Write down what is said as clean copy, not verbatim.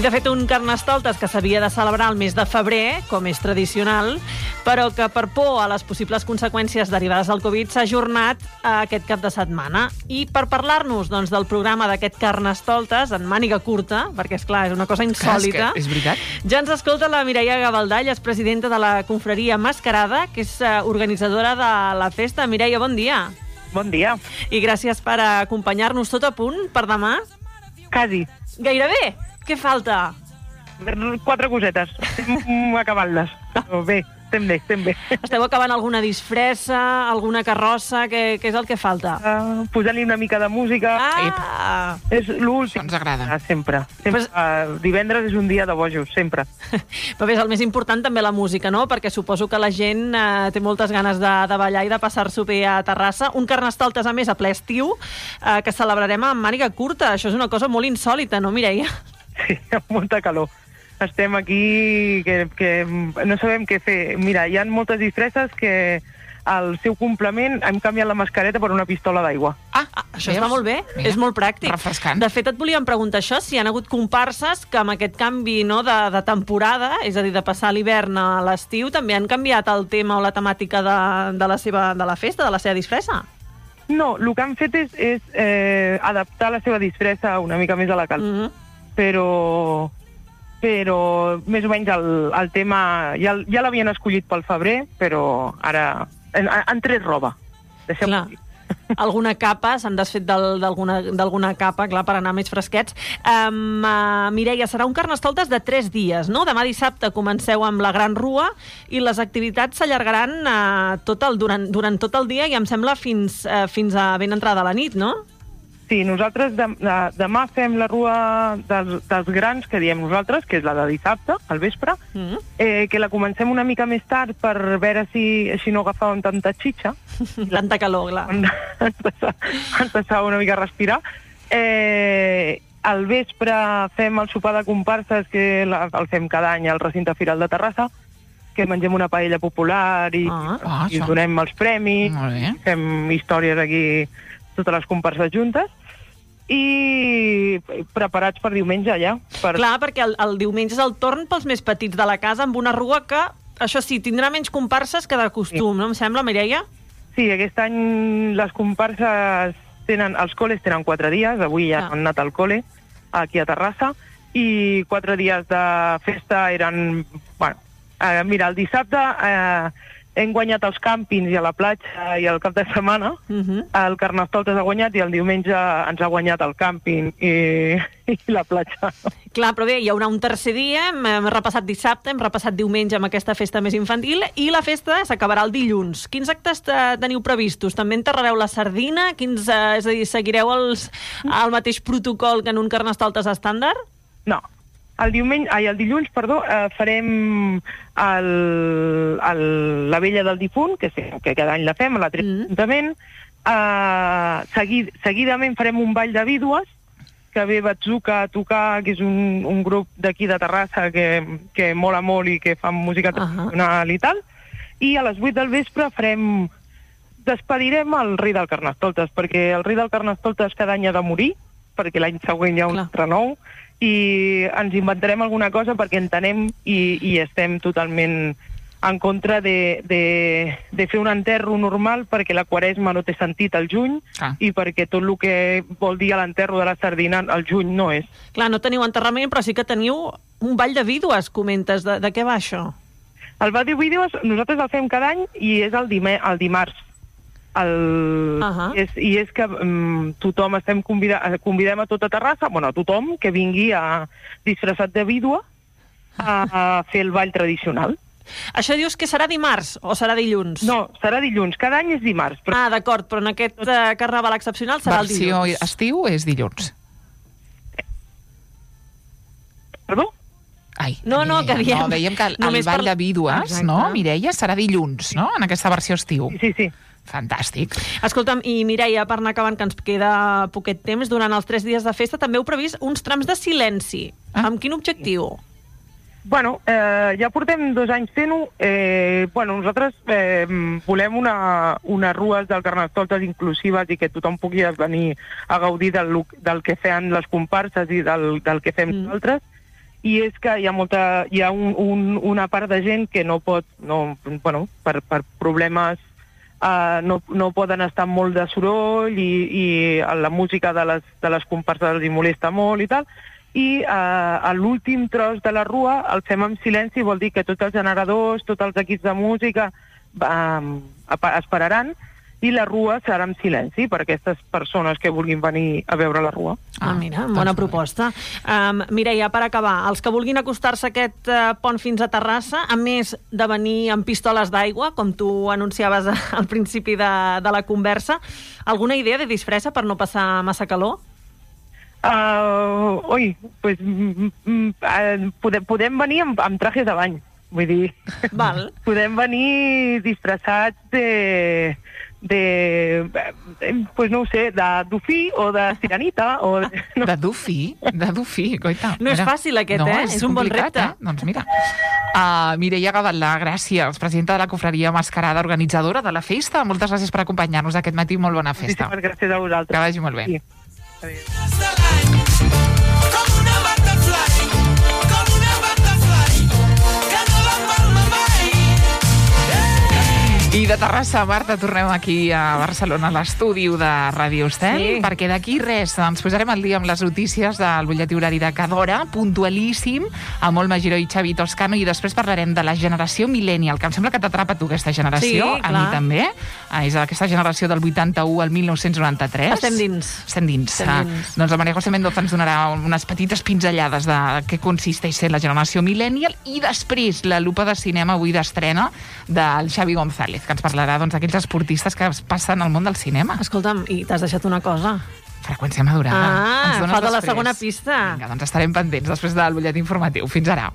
Sí, de fet, un Carnestoltes que s'havia de celebrar el mes de febrer, com és tradicional, però que per por a les possibles conseqüències derivades del Covid s'ha ajornat aquest cap de setmana. I per parlar-nos del programa d'aquest Carnestoltes en màniga curta, perquè, esclar, és una cosa insòlita, és veritat. ja ens escolta la Mireia Gavaldall, és presidenta de la confraria Mascarada, que és organitzadora de la festa. Mireia, bon dia. Bon dia. I gràcies per acompanyar-nos. Tot a punt per demà? Quasi. Gairebé. Què falta? 4 cosetes. Estem acabant-les. Però bé, estem bé. Esteu acabant alguna disfressa, alguna carrossa? Què és el que falta? Posant-li una mica de música. És l'últim. Ens agrada. Sempre. Divendres és un dia de bojos, sempre. Però bé, és el més important també la música, no? Perquè suposo que la gent té moltes ganes de ballar i de passar-s'ho bé a Terrassa. Un Carnestoltes, a més, a ple estiu, que celebrarem amb màniga curta. Això és una cosa molt insòlita, no, Mireia? Sí, amb molta calor. Estem aquí que no sabem què fer. Mira, hi ha moltes disfresses que al seu complement hem canviat la mascareta per una pistola d'aigua. Això està molt bé, és molt pràctic. Refrescant. De fet, et volíem preguntar això, si hi ha hagut comparses que amb aquest canvi de temporada, és a dir, de passar l'hivern a l'estiu, també han canviat el tema o la temàtica de la festa, de la seva disfressa? No, el que han fet és adaptar la seva disfressa una mica més a la calor. Però més o menys el tema ja l'havien escollit pel febrer, però ara han tret roba. Deixem-ho dir. Alguna capa, s'han desfet d'alguna capa, clar, per anar més fresquets. Mireia, serà un Carnestoltes de 3 dies, no? Demà dissabte comenceu amb la Gran Rua i les activitats s'allargaran durant tot el dia i em sembla fins a ben entrada la nit, no? Sí, nosaltres demà fem la rua dels grans, que diem nosaltres, que és la de dissabte, al vespre, que la comencem una mica més tard per veure si així no agafàvem tanta xitxa. Tanta calor, clar. Ens passava una mica a respirar. Al vespre fem el sopar de comparses, que el fem cada any al recinte Firal de Terrassa, que mengem una paella popular i donem els premis, fem històries aquí, totes les comparses juntes, i preparats per diumenge ja. Clar, perquè el diumenge és el torn pels més petits de la casa, amb una rua que, això sí, tindrà menys comparses que de costum, no em sembla, Mireia? Sí, aquest any les comparses els col·les tenen 4 dies, avui ja han anat al col·le, aquí a Terrassa, i 4 dies de festa eren... Mira, el dissabte hem guanyat els càmpings i a la platja i al cap de setmana. El Carnestoltes ha guanyat i el diumenge ens ha guanyat el càmping i la platja. Clar, però bé, hi haurà un tercer dia, hem repassat dissabte, hem repassat diumenge amb aquesta festa més infantil i la festa s'acabarà el dilluns. Quins actes teniu previstos? També enterrareu la sardina? És a dir, seguireu el mateix protocol que en un Carnestoltes estàndard? No. El dilluns, farem la vella del difunt, que cada any la fem, a l'Ajuntament. Seguidament farem un ball de vídues, que ve Batzuca a tocar, que és un grup d'aquí de Terrassa que mola molt i que fa música tradicional i tal. I a les 8 del vespre despedirem el rei del Carnestoltes, perquè el rei del Carnestoltes cada any ha de morir, perquè l'any següent hi ha un altre nou, i ens inventarem alguna cosa perquè entenem i estem totalment en contra de fer un enterro normal, perquè la Quaresma no té sentit al juny i perquè tot el que vol dir l'enterro de la sardina al juny no és. Clar, no teniu enterrament, però sí que teniu un ball de vídues, comentes. De què va això? El ball de vídues nosaltres el fem cada any i és el dimarts. I és que tothom convidem a tota Terrassa, a tothom que vingui disfressat de vídua a fer el ball tradicional. Això dius que serà dimarts o serà dilluns? No, serà dilluns. Cada any és dimarts. D'acord, però en aquest carnaval excepcional serà el dilluns. Versió estiu és dilluns. Perdó? No, que diem... No, dèiem que el ball de vídues, no, Mireia, serà dilluns, no?, en aquesta versió estiu. Sí. Fantàstic. Escolta'm, i Mireia, per anar acabant, que ens queda poquet temps, durant els 3 dies de festa també heu previst uns trams de silenci. Amb quin objectiu? Ja portem 2 anys fent-ho. Nosaltres volem unes rues del Carnestoltes inclusives i que tothom pugui venir a gaudir del que feien les comparses i del que fem nosaltres. i és que hi ha una part de gent que no pot, per problemes no poden estar amb molt de soroll i la música de les comparses els hi molesta molt i tal, i a l'últim tros de la rua el fem en silenci, vol dir que tots els generadors, tots els equips de música esperaran, i la rua serà en silenci per a aquestes persones que vulguin venir a veure la rua. Mira, bona proposta. Mireia, per acabar, els que vulguin acostar-se a aquest pont fins a Terrassa, a més de venir amb pistoles d'aigua, com tu anunciaves al principi de la conversa, alguna idea de disfressa per no passar massa calor? Podem venir amb trajes de bany, vull dir, podem venir disfressats de dofí o de sirenita. De dofí, coita. No és fàcil aquest, és un bon repte. Doncs mira. Mireia Gavaldà, gràcies, presidenta de la Confraria Mascarada, organitzadora de la festa. Moltes gràcies per acompanyar-nos aquest matí. Molt bona festa. Moltíssimes gràcies a vosaltres. Que vagi molt bé. Sí. I de Terrassa, Marta, tornem aquí a Barcelona, a l'estudi de Ràdio Estel, perquè d'aquí res, ens posarem al dia amb les notícies del butlletí horari de cada hora, puntualíssim, amb Olma Giró i Xavi Toscano, i després parlarem de la generació millennial, que em sembla que t'atrapa tu aquesta generació, a mi també. És aquesta generació del 81 al 1993. Estem dins. Doncs la Maria José Mendoza ens donarà unes petites pinzellades de què consisteix ser la generació millennial, i després la lupa de cinema avui d'estrena del Xavi González, que ens parlarà d'aquells esportistes que es passen al món del cinema. Escolta'm, i t'has deixat una cosa. Freqüència madurada. Falta la segona pista. Vinga, doncs estarem pendents després del butlletí informatiu. Fins ara.